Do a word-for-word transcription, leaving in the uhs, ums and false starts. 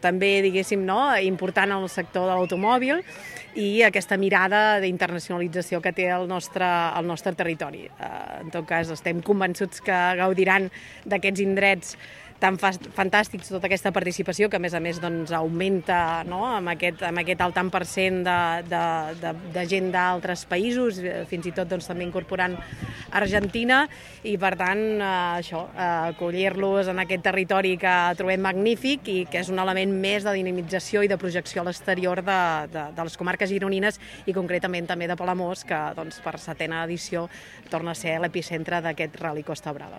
També, diguéssim, no, important en el sector de l'automòbil i aquesta mirada d'internacionalització que té el nostre, el nostre territori. En tot cas, estem convençuts que gaudiran d'aquests indrets tan fantàstics, tota aquesta participació, que a més a més doncs, augmenta, no?, amb, aquest, amb aquest alt tant per cent de, de, de, de gent d'altres països, fins i tot doncs, també incorporant Argentina, i per tant eh, això, eh, acollir-los en aquest territori que trobem magnífic i que és un element més de dinamització i de projecció a l'exterior de, de, de les comarques gironines i concretament també de Palamós, que doncs, per setena edició torna a ser l'epicentre d'aquest Ral·li Costa Brava.